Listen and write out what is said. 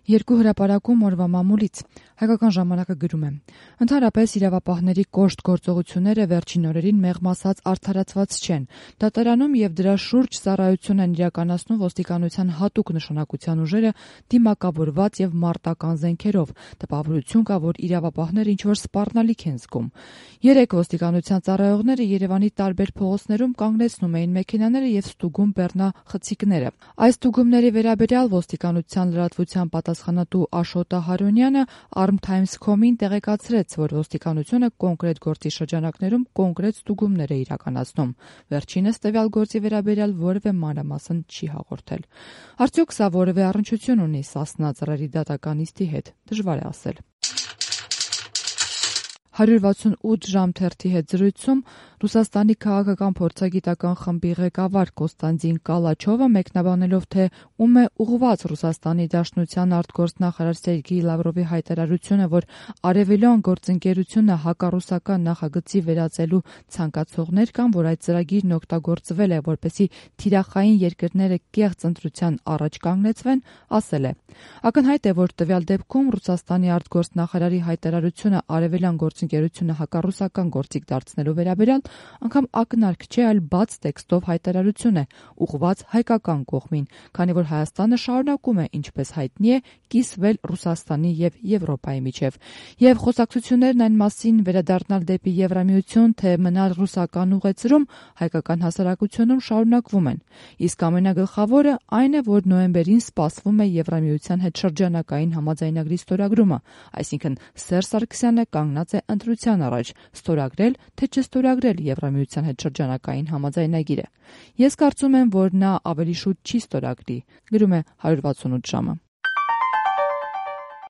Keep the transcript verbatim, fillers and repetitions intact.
Երկու հրապարակում օրվա մամուլից հայկական ժամանակը գրում է. Ընդհանրապես իրավապահների կոշտ գործողությունները վերջին օրերին մեղմ ասած արդարացված չեն։ Դատարանում եւ դրա շուրջ ծառայություն են իրականացնում ոստիկանության հատուկ նշանակության ուժերը դիմակավորված եւ մարտական զենքերով։ Տպավորություն կա, որ իրավապահները ինչ-որ սպառնալիք են զգում։ Երեք ոստիկանության ծառայողները Երևանի տարբեր փողոցներում կանգնեցնում էին մեքենաները եւ ստուգում բեռնախցիկները։ Այս ստուգումների վերաբերյալ ոստիկանության լրատվության պատասխանատու Աշոտ Հարոնյանը Arm Times.com-ին տեղեկացրեց, որ ոստիկանությունը կոնկրետ գործի շրջանակներում կոնկրետ ստուգումներ է իրականացնում։ Վերջինս տվյալ գործի վերաբերյալ որևէ մանրամասն չի հաղորդել։ Արդյոք սա որևէ առնչություն ունի Սասնա ծռերի դատական նիստի հետ, դժվար է ասել։ հարյուր վաթսունութ ժամ թերթի հետ զրույցում Ռուսաստանի քաղաքական փորձագիտական խմբի ղեկավար Կոստանդին Կալաչովը մեկնաբանելով, թե ում է ուղղված Ռուսաստանի Դաշնության արտգործնախարար Սերգեյ Լավրովի հայտարարությունը, որ արևելյան գործընկերությունը հակառուսական նախագծի վերածելու ցանկացողներ կան, որ այդ ծրագիրն օգտագործվել է, որպեսզի թիրախային երկրները կեղծ ընտրության առաջ կանգնեցվեն, ասել է. Ակնհայտ է, որ տվյալ դեպքում Ռուսաստանի արտգործնախարարի հայտարարությունը արևելյան գործընկերությունը հակառուսական գործիք դարձնելու վերաբերյալ անգամ ակնարկ չէ, այլ բաց տեքստով հայտարարություն է, ուղղված հայկական կողմին, քանի որ Հայաստանը շարունակում է, ինչպես հայտնի է, կիսվել Ռուսաստանի եւ Եվրոպայի միջև։ Եվ խոսակցություններն այն մասին վերադառնալ դեպի Եվրամիություն, թե մնալ ռուսական ուղեծրում, հայկական հասարակությունում շարունակվում են։ Իսկ ամենագլխավորը այն է, որ նոյեմբերին սպասվում է Եվրամիության հետ շրջանակային համաձայնագրի ստորագրումը, այսինքն Սերժ Սարգսյանը կանգնած է ընտրության առաջ ստորագրել, թե չստորագրել Եվրամիության հետ շրջանակային համաձայնագիրը։ Ես կարծում եմ, որ նա ավելի շուտ չի ստորագրի, գրում է հարյուր վաթսունութ ժամը։